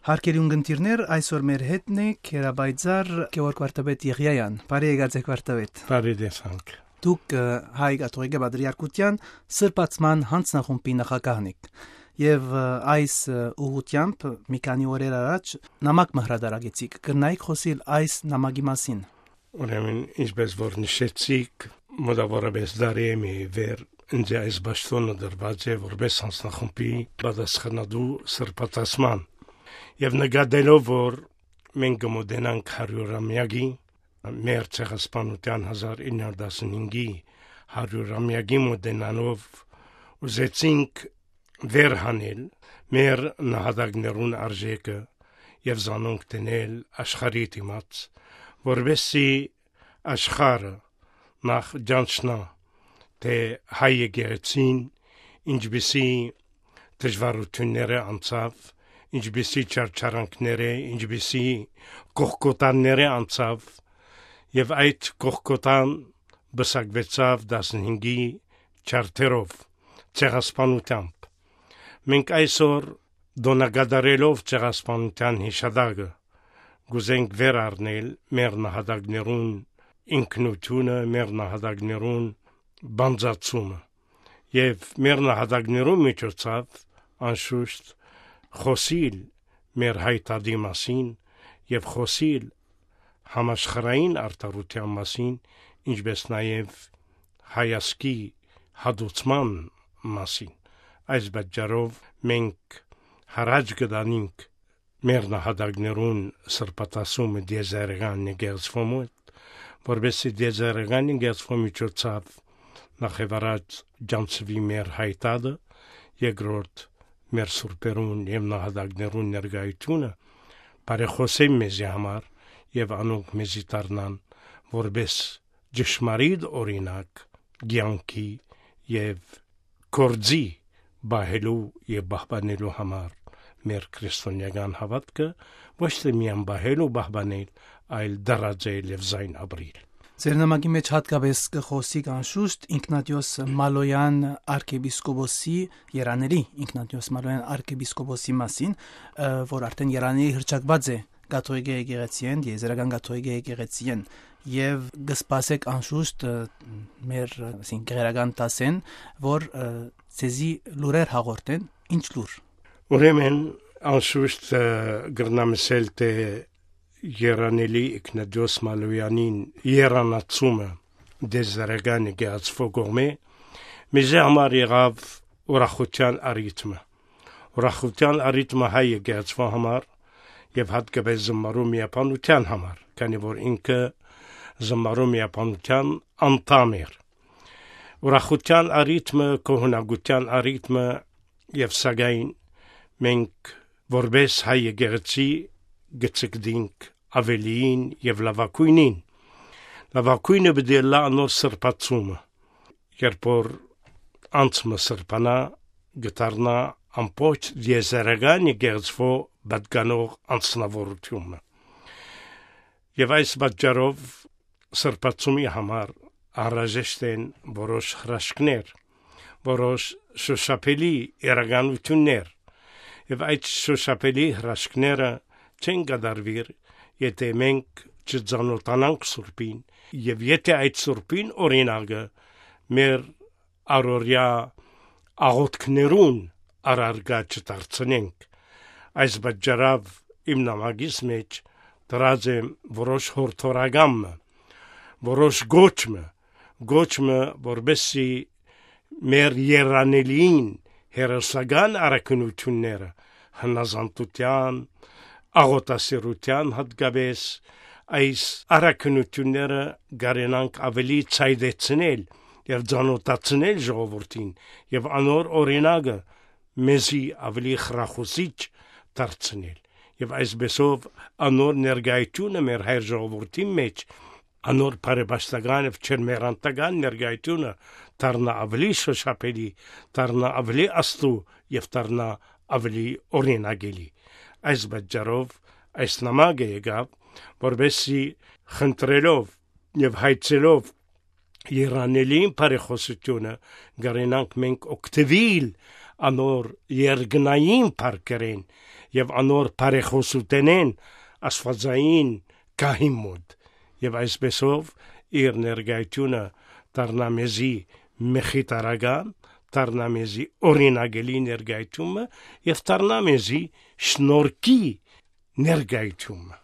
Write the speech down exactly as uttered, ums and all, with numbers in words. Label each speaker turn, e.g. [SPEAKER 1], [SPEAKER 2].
[SPEAKER 1] Հարկելի ունգընտիրներ, այսօր մեր հետն է Քերաբայձար Գևորգ Վարդապետ Եղիայան։ Բարի եկած Վարդապետ։
[SPEAKER 2] Բարի դեսանք։
[SPEAKER 1] Դուք հայ կաթողիկե Պատրիարքության սրբացման հանձնախումբի նախագահն եք եւ այս ուղղությամբ մի քանի օրեր առաջ նամակ մհրադարագեցիք։ Կգնայիք խոսել այս նամակի մասին։
[SPEAKER 2] Ուրեմն ինչպես որ նշեցիք, մոտավորապես դարի մի վեր ինձ այս բաշտոնը դրված է որպես հանձնախումբի պատասխանատու սրբացման եւ նկատելով որ մենք կմոտենանք հարյուրամյակի մեր ցեղասպանության հազար ինը հարյուր տասնհինգի հարյուրամյակի մոտենալով ուզեցինք վերհանել մեր նահատակներուն արժեքը եւ զանոնք տնել աշխարհի դիմաց որովհետեւ աշխարհը նախ ջանչնա թե հայ եկեղեցին ինչպիսի դժվարությունները անցավ ինչպիսի չարչարանքները ինչպիսի կողկոտանները անցավ եւ այդ կողկոտան բսակվեցավ տասնհինգի չարթերով ցեղասպանությամբ մենք այսօր դոնագադարելով ցեղասպանության հիշադակը գուզենք վեր առնել մեր նահատակներուն ինքնությունը մեր նահատակներուն բանձացումը եւ մեր նահատակներուն միջոցով անշուշտ խոսիլ մեր հայտարարի մասին եւ խոսիլ համաշխարհային արտարության մասին ինչպես նաեւ հայասկի հադուցման մասին այս բաժարով մենք հարաճ կդանենք մեր նահատակներուն սրբատասումը դեզերգան նգերսվոմը որբեսի դեզերգան նգերսվոմի միջոցով նախևառած ջանցվի մեր հայտարարը երկրորդ մեր սուրբերուն եւ նահատակներուն ներկայությունը բարեխոսեմ մեզի համար եւ անոնք մեզի դառնան որբես ճշմարիտ օրինակ ցանկի եւ կորձի բահելու եւ բահբանելու համար մեր քրիստոնեական հավատքը ոչ թե միայն բահել ու բահբանել այլ դրաձել եւ զայն ապրիլ
[SPEAKER 1] Ձեր նամակի մեջ հատկապես կխոսիկ անշուշտ Ինգնատիոս Մալոյան arczepiskopos-ի Երանելի Ինգնատիոս Մալոյան arczepiskopos-ի մասին, որ արդեն Երանելի հրճակված է կաթողիկե եկեղեցին, եզերական կաթողիկե եկեղեցին եւ գսպասեք անշուշտ մեր ասին գերական տասեն, որ ցեզի լուրեր հաղորդեն, ինչ լուր։
[SPEAKER 2] Ուրեմն անշուշտ գրնամսել թե Երանելի Ինգնատիոս Մալոյանին երանացումը դեզերգան գացվողմե մեզ համար եղավ ուրախության արիթմը ուրախության արիթմը հայ գացվող համար եւ հատկապես զմարու միապանության համար քանի որ ինքը զմարու միապանության անդամ էր ուրախության արիթմը կողնագության արիթմը եւ սակայն մենք որպես հայ եկեղեցի գծկդինք ավելին եւ լավակույնին լավակույնը բդելա նոր սրբացումը երբ որ անցմը սրբանա գտարնա ամբողջ եզերական եկեղեցվո բադկանող անձնավորությունը եւ այս բաժարով սրբացումի համար անհրաժեշտ են որոշ հրաշքներ որոշ շոշափելի իրականություններ եւ այդ շոշափելի հրաշքները չեն գդարվիր եթե մենք չծանոթանանք սուրբին եւ եթե այդ սուրբին օրինակը մեր առօրյա աղոթքներուն առարգա չդարձնենք այս բաժարով իմ նամակիս մեջ դրած եմ որոշ հորթորագամ որոշ գոչմը գոչմը որբեսի մեր երանելին հերոսական արակնությունները հնազանդության աղոտասիրության հատկապես այս արակնությունները գարենանք ավելի ցայդեցնել եւ ճանոթացնել ժողովրդին եւ անոր օրինակը մեզի ավելի խրախուսիչ դարձնել եւ այսպեսով անոր ներգայությունը մեր հայր ժողովրդի մեջ անոր բարեբաստական եւ չերմերանտական ներգայությունը դառնա ավելի շոշափելի դառնա ավելի աստու եւ դառնա ավելի օրինակելի այս բաժարով այս նամակը եկավ որբեսի խնդրելով եւ հայցելով Երանելին բարեխոսությունը գարենանք մենք օգտվել անոր երգնային парքերեն եւ անոր բարեխոսութենեն աստվածային գահի մոտ եւ այսպեսով իր ներգայությունը դառնամեզի մեխիտարական դառնամեզի օրինագելի ներգայությունը եւ դառնամեզի շնորհքի ներգայությունը